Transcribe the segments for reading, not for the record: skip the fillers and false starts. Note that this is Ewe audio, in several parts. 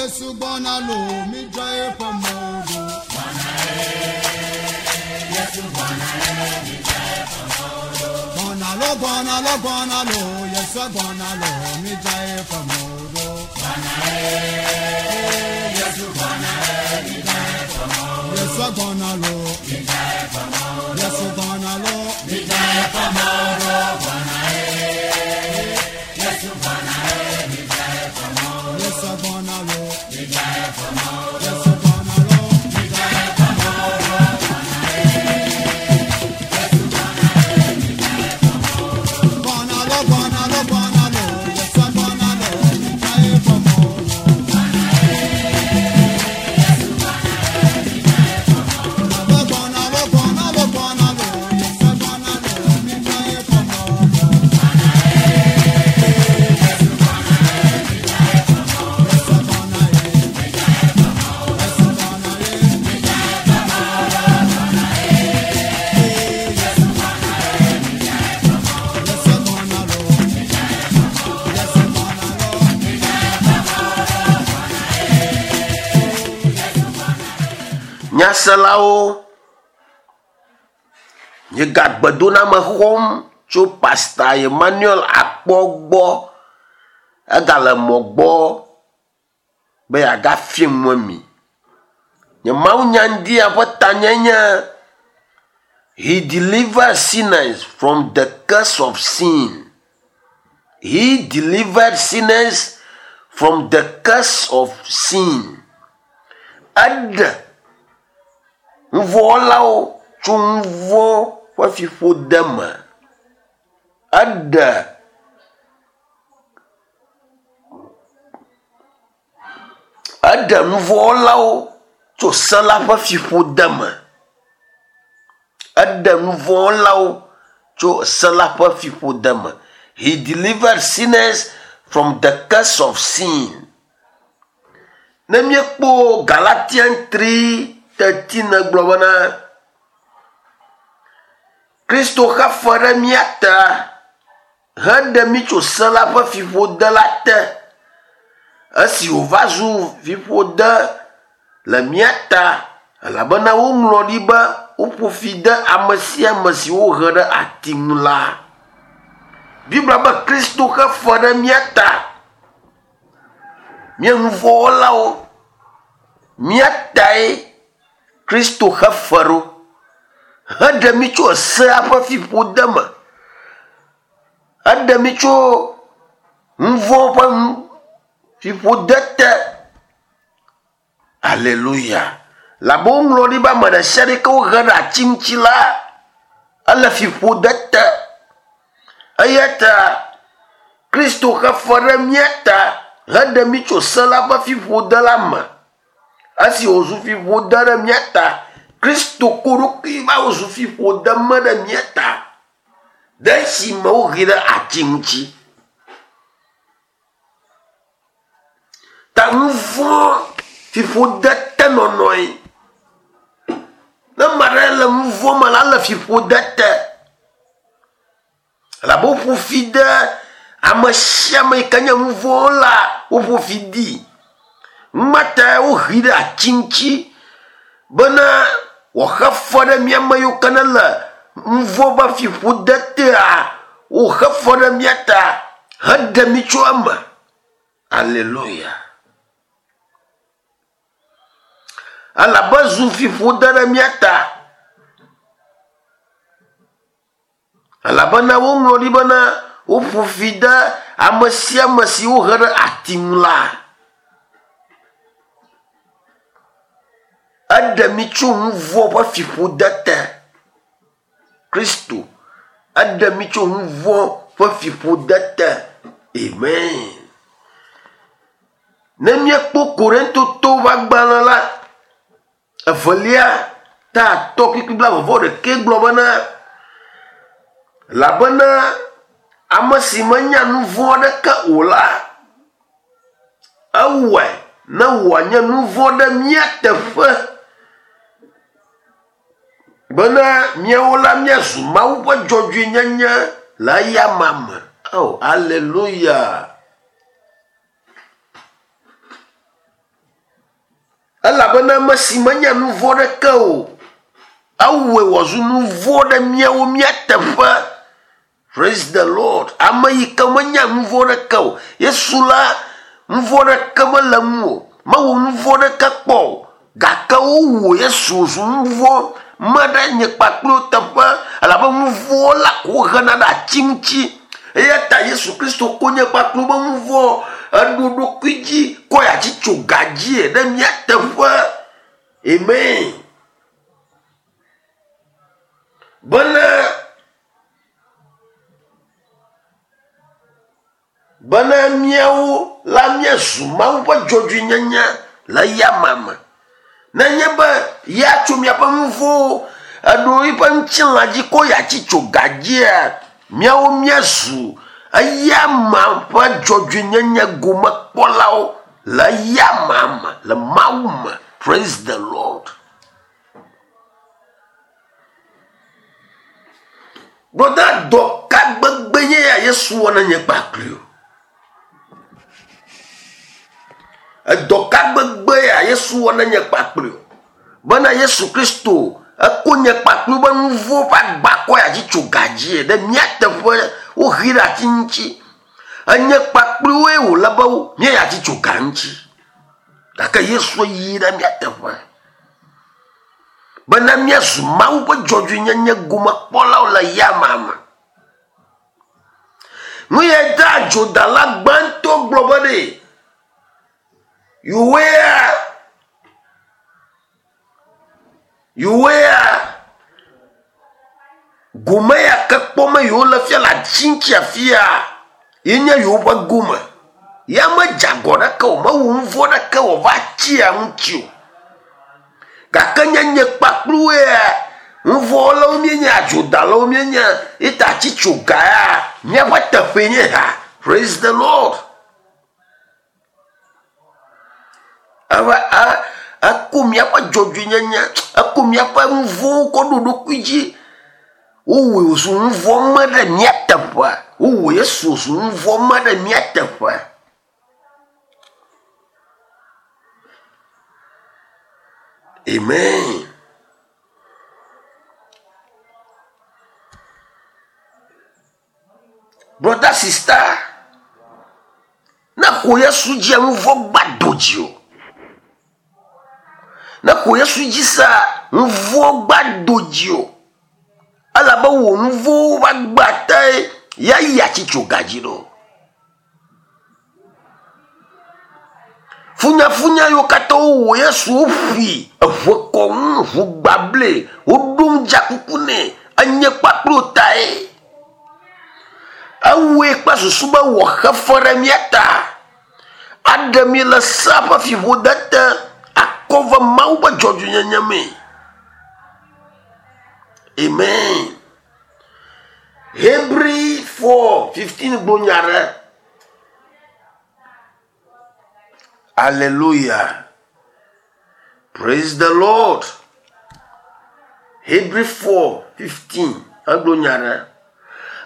Yesu gbɔna lo, midzra eƒe mɔwo ɖo. Gbɔna lo, gbɔna lo, gbɔna lo, Yesu gbɔna lo, midzra eƒe mɔwo ɖo. Yesu gbɔna lo, Yesu gbɔna lo, midzra eƒe mɔwo ɖo. Yesu gbɔna lo, Yesu gbɔna lo, midzra eƒe mɔwo ɖo. Gbɔna lo, gbɔna lo, gbɔna lo, Yesu gbɔna lo, midzra eƒe mɔwo ɖo. Gbɔna lo, gbɔna lo, gbɔna lo, Yesu gbɔna lo, midzra eƒe mɔwo ɖo. Yesu gbɔna ye, Yesu gbɔna ye, Yesu gbɔna lo, Yesu gbɔna lo. Nyaselawo, miegagbedoname xɔm tso Pasta Emmanuel Akpɔ gbɔ. Egale mɔ gbɔ be yeagafie nu mi. Nye mawunyaŋdia ƒe tanye nye He delivered sinners from the curse of sin. He delivered sinners from the curse of sin. Eɖe nuvɔ̃wɔlawo tso nuvɔ̃ ƒe fiƒode me. Eɖe eɖe nuvɔ̃wɔlawo tso se la ƒe fiƒode me. Eɖe nuvɔ̃wɔlawo tso se la ƒe fiƒode me. He delivered sinners from the curse of sin. Ne míekpɔ Galatian 3:13 gblɔ bena Kristo xe fe ɖe mía ta heɖe mí tso se la ƒe fiƒode la te. Esi wòva zu fiƒode le mía ta elabena woŋlɔ ɖi be woƒo fi de ame sia ame si wohe ɖe ati ŋu la. Biblia be Kristo xe fe ɖe mía ta. Mía nuvɔ̃wɔlawo, mía tae Kristo xe fe ɖo heɖe mí tso esea ƒe fiƒode me. Eɖe mí tso nuvɔ̃ ƒe fiƒode te. Aleluya. Labe woŋlɔ ɖi be ame ɖe sia ɖe ke wohe ɖe ati ŋuti la, ele fiƒode te. Eya ta Kristo xe fe ɖe mía ta heɖe mí tso se la ƒe fiƒode la me. Esi wòzu fiƒode ɖe mía ta, Kristo ko ɖokui va wòzu fiƒode me ɖe mía ta. Ɖe esime wohee ɖe ati ŋuti. Ta nuvɔ̃ fiƒode tenɔnɔe. Ne ame aɖe le nuvɔ̃ me la, ele fiƒode te. Elabe woƒo fi de ame sia ame yi ke nye nuvɔ̃wɔla, woƒo fi dee. Numa tae wohee ɖe ati ŋuti bena wòaxe fe ɖe mía ame yiwo ke ne le nuvɔ̃ ƒe fiƒode tea, woxe fe ɖe mía ta heɖe mí tso eme. Aleluya. Elabe zu fiƒode ɖe mía ta. Elabena woŋlɔ ɖi bena woƒo fi de ame sia ame si wohe ɖe ati ŋu la. Eɖe mí tso nu vɔ̃ ƒe fiƒode te. Kristo eɖe mí tso nu vɔ̃ ƒe fiƒode te. Amen. Ne míekpɔ Korintotɔwo ƒe agbalẽ la, evelia ta atɔ̃ kpukpui blaeve vɔ ɖekɛ gblɔ bena, elabena ame si menya nu vɔ̃ aɖeke o la, ewɔe ne wòanye nu vɔ̃ ɖe mía teƒe bena míawo la míazu Mawu ƒe dzɔdzɔenyenye le eyama me. Oh, aleluya! Elabena ame si menya nu vɔ̃ ɖeke o, ewɔe wòazu nu vɔ̃ ɖe míawo mía teƒe. Praise the Lord. Ame yi ke menya nu vɔ̃ ɖeke o. Yesu la, nu vɔ̃ ɖeke mele ŋu o. Mewɔ nu vɔ̃ ɖeke kpɔ o. Gake wowɔ Yesu wòzu nu vɔ̃ me ɖe nye kpakple wò teƒe elabe nu vɔ̃ la ko wohena ɖe ati ŋuti. Eya ta Yesu Kristo ko nye kpakple wobe nu vɔ̃ eɖo ɖokui dzi kɔ yi atsi tso ga dzi ɖe mía teƒe. Amen. Bena bena míawo la míazu Mawu ƒe dzɔdzɔenyenye le eyama me. Nenye be ya tso míaƒe nu vɔ̃wo eɖo eƒe ŋutilã dzi ko yeatsi tso ga dzia, míawo míazu eyama ƒe dzɔdzɔenyenye gomekpɔlawo le eyama me, le Mawu me. Praise the Lord. Brɔda, dɔ ka gbegbe nye ya Yesu wɔ na nye kpakpli o? Edɔ ka gbegbe ya Yesu wɔ na nye kpakpli o? Bena Yesu Kristo eko nye kpakpli be nu vɔ̃ ƒe agba kɔ ya dzi tso ga dzi ɖe mía teƒe woxi ɖe ati ŋuti. Enye kpakpliwoe wòle be míaya dzi tso ga ŋuti. Gake Yesu yi ɖe mía teƒe. Bena míazu Mawu ƒe dzɔdzɔenyenye gomekpɔlawo le yama me. Nu ya ta adzodala gbãtɔ gblɔ be ɖe yewoea yewoea gome ya ke kpɔm yewole fia le ati ŋuti afia ye nye yewoƒe gome. Ya medze agɔ ɖeke o, mewɔ nu vɔ̃ ɖeke wòva atia ŋuti o. Gake nye nye kpakpluwoea, nu vɔ̃wɔlawo míenye, adzodalawo míenye, ye ta ati tso ga ya, míaƒe teƒee nye ha. Praise the Lord. Eva e eko míaƒe dzɔdzɔenyenye, eko míaƒe nu vɔ̃wo kɔ ɖo eɖokui dzi. Wowɔe wòzu nu vɔ̃ me ɖe mía teƒe. Wowɔ Yesu wòzu nu vɔ̃ me ɖe mía teƒe. Amen. Brother, sister, ne xɔ Yesu dzia nu vɔ̃ gba do dzi o. Ne xɔ Yesu dzi sea, nu vɔ̃ gba do dzi o. Elabe wò nu vɔ̃wo va gba tae ya yi atsi tso ga dzi ɖo. Funyafunya yiwo katã wowɔ Yesu woƒui eŋe kɔ ŋu ʋu gbable woɖo ŋudzakuku nɛ enye kpakplo tae. Ewɔe kple susu be wòaxe fe ɖe mía ta, aɖe mí le sea ƒe fiƒode te, akɔ va Mawu ƒe dzɔdzɔenyenye mee. Amen. Hebri 4:15 gblɔ nya ɖe. Hallelujah. Praise the Lord. Hebri 4:15 egblɔ nya ɖe.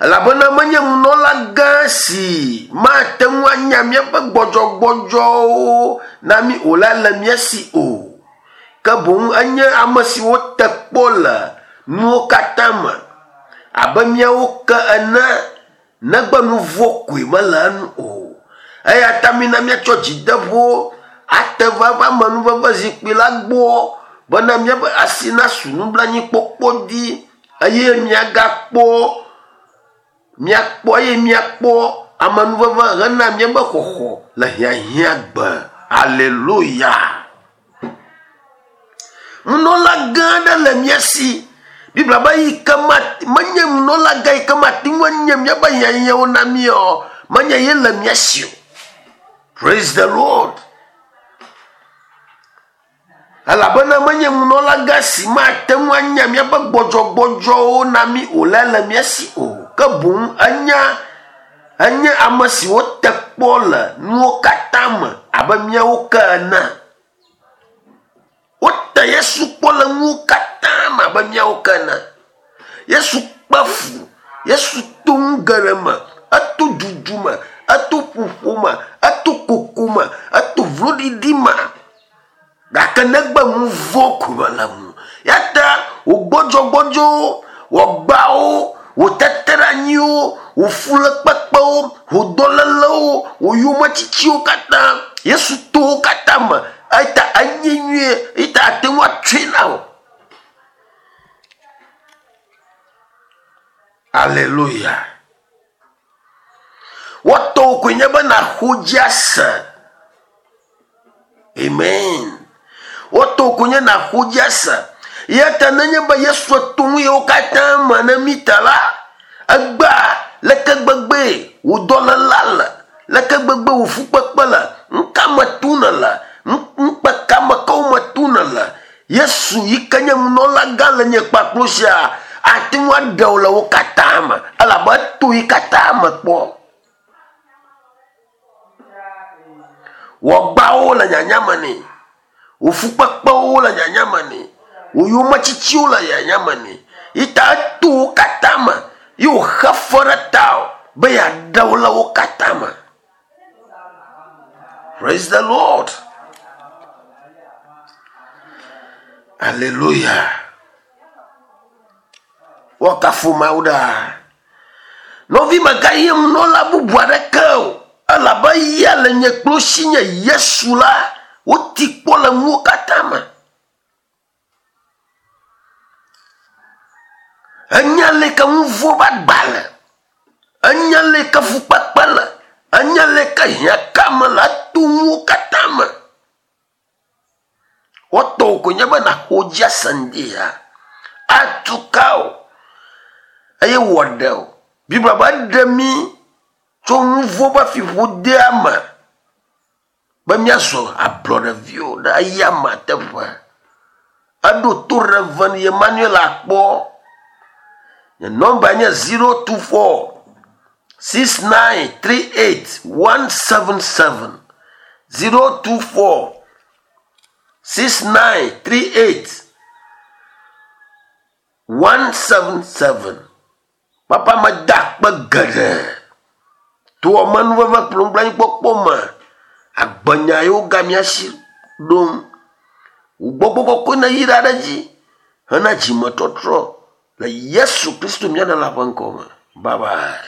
Elabena menye nunɔla gã si mate ŋu anya míaƒe gbɔdzɔgbɔdzɔwo na mí o la le mía si o. Ke boŋ enye ame si wote kpɔ le nuwo katã me abe míawo ke ene negbe nu vɔ̃ koe mele enu o. Eya ta mina míatsɔ dzideƒo ate va eƒe amenuveve zikpui la gbɔ bena míaƒe asi nasu nublanuikpɔkpɔ dzi eye míagakpɔ míakpɔ eye míakpɔ amenuveve hena míaƒe xɔxɔ le hiahiãgbe. Aleluya! Nunɔla gã aɖe le mía si. Biblia be yi ke menye nunɔla gã yi ke mate ŋu anye míaƒe hiahiãwo na mí o, menye ye le mía si o. Praise the Lord. Elabena menye nunɔla gã si mate ŋu anya míaƒe gbɔdzɔgbɔdzɔwo na mí o la le mía si o. Ke boŋ enya enye ame si wote kpɔ le nuwo katã me abe míawo ke ene. Wote Yesu kpɔ le nuwo katã me abe míawo ke ene. Yesu kpe fu, Yesu to nu geɖe me, eto dudu me, eto ƒoƒo me, eto koko me, eto vloɖiɖi me. Gake negbe nu vɔ̃ ko mele ŋu. Ya ta wò gbɔdzɔgbɔdzɔwo, wò agbawo, wò teteɖeanyiwo, wò fulekpekpewo, wò dɔlélewo, wò yometsitsiwo katã, Yesu to wo katã me. Eya ta enye nyuie, eya ta ate ŋu atsɔe na wò. Aleluya. Woatɔwò koe nye be nàxɔ dzi ase. Amen. Woatɔwò koe nye nàxɔ dzi ase. Eya ta nenye be Yesu to nu yewo katã me ne mí ta la, egbea leke gbegbee wò dɔléla le, leke gbegbe wò fukpekpe le, nuka me tom nèle, ŋukpe ka me kewo me tom nèle, Yesu yi ke nye nunɔlagã le nye kpakplo sia ate ŋu aɖe wò le wo katã me elabe eto yi katã me kpɔ. Wò agbawo le nyanya me nɛ, wò fukpekpewo le nyanya me nɛ, wò yometsitsiwo le nyanya me nɛ. Yi ta eto wo katã me ye wòxe fe ɖe tawò be yeaɖe wò le wo katã me. Praise the Lord. Alléluia. Woakafu Mawu ɖaa. Nɔvi megayi nunɔla bubu aɖeke o elabe eya le nye kple si nye Yesu la woti kpɔ le nuwo katã me. Enya leke nu vɔ̃ ƒe agba le. Enya leke fukpekpe le. Enya leke hiãkame le eto nuwo katã me. Woatɔ koe nye be nàxɔ dzi ase ŋdi ya. Atu ka wò eye wòaɖe wò. Biblia be eɖe mí tso nu vɔ̃ ƒe fiƒodea me. Be míazɔ ablɔɖeviwo ɖe eyama teƒe. Eɖo to Rev. Emmanuel Akpɔ. Nye nɔmba nye 024 6938 177. 024 6938 177. Papa meda akpe geɖe to amenuveve kple nublanuikpɔkpɔ me. Agbenya yiwo ga mía si ɖom. Wò gbɔgbɔ kɔkɔe neyra ɖe edzi hena dzimetɔtrɔ le Yesu Kristo mía Ɖela ƒe ŋkɔ me. Bye bye.